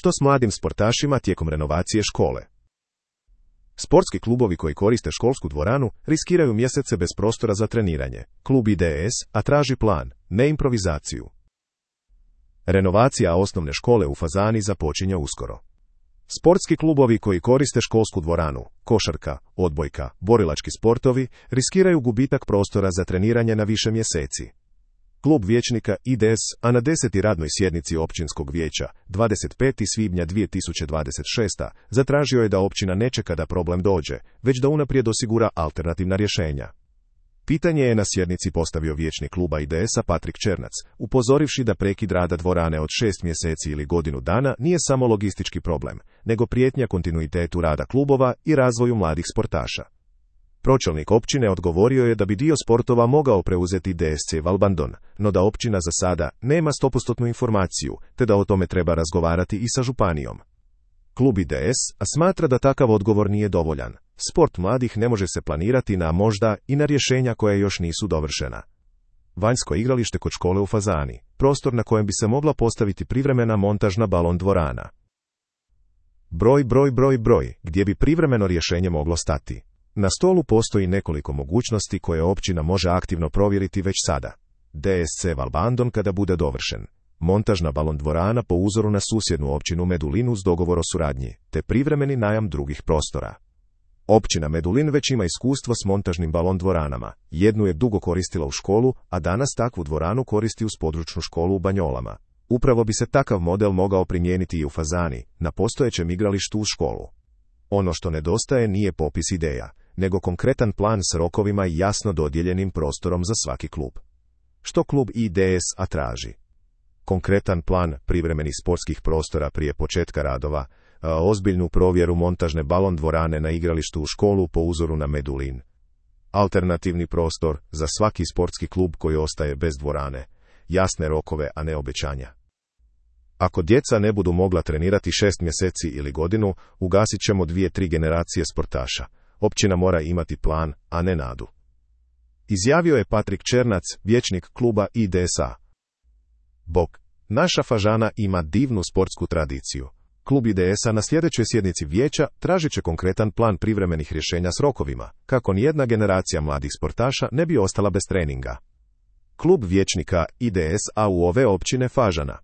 Što s mladim sportašima tijekom renovacije škole? Sportski klubovi koji koriste školsku dvoranu riskiraju mjesece bez prostora za treniranje. Klub IDS, a traži plan, ne improvizaciju. Renovacija osnovne škole u Fazani započinje uskoro. Sportski klubovi koji koriste školsku dvoranu, košarka, odbojka, borilački sportovi, riskiraju gubitak prostora za treniranje na više mjeseci. Klub vijećnika IDS, a na 10. radnoj sjednici općinskog vijeća, 25. svibnja 2026. zatražio je da općina ne čeka da problem dođe, već da unaprijed osigura alternativna rješenja. Pitanje je na sjednici postavio vijećnik kluba IDS-a Patrik Černac, upozorivši da prekid rada dvorane od 6 mjeseci ili godinu dana nije samo logistički problem, nego prijetnja kontinuitetu rada klubova i razvoju mladih sportaša. Pročelnik općine odgovorio je da bi dio sportova mogao preuzeti DSC Valbandon, no da općina za sada nema 100% informaciju, te da o tome treba razgovarati i sa županijom. Klub IDS smatra da takav odgovor nije dovoljan. Sport mladih ne može se planirati na možda i na rješenja koja još nisu dovršena. Vanjsko igralište kod škole u Fazani, prostor na kojem bi se mogla postaviti privremena montažna balon dvorana. Broj, gdje bi privremeno rješenje moglo stati. Na stolu postoji nekoliko mogućnosti koje općina može aktivno provjeriti već sada. DSC Valbandon kada bude dovršen. Montažna balon dvorana po uzoru na susjednu općinu Medulin uz dogovor o suradnji, te privremeni najam drugih prostora. Općina Medulin već ima iskustvo s montažnim balon dvoranama. Jednu je dugo koristila u školu, a danas takvu dvoranu koristi uz područnu školu u Banjolama. Upravo bi se takav model mogao primijeniti i u Fazani, na postojećem igralištu uz školu. Ono što nedostaje nije popis ideja, nego konkretan plan s rokovima i jasno dodijeljenim prostorom za svaki klub. Što klub IDS traži? Konkretan plan privremenih sportskih prostora prije početka radova, ozbiljnu provjeru montažne balon dvorane na igralištu u školu po uzoru na Medulin. Alternativni prostor za svaki sportski klub koji ostaje bez dvorane, jasne rokove, a ne obećanja. Ako djeca ne budu mogla trenirati 6 mjeseci ili godinu, ugasit ćemo 2-3 generacije sportaša. Općina mora imati plan, a ne nadu. Izjavio je Patrik Černac, vijećnik kluba IDS-a. Bog, naša Fažana ima divnu sportsku tradiciju. Klub IDS-a na sljedećoj sjednici vijeća tražit će konkretan plan privremenih rješenja s rokovima, kako nijedna generacija mladih sportaša ne bi ostala bez treninga. Klub vijećnika IDS-a u ove općine Fažana.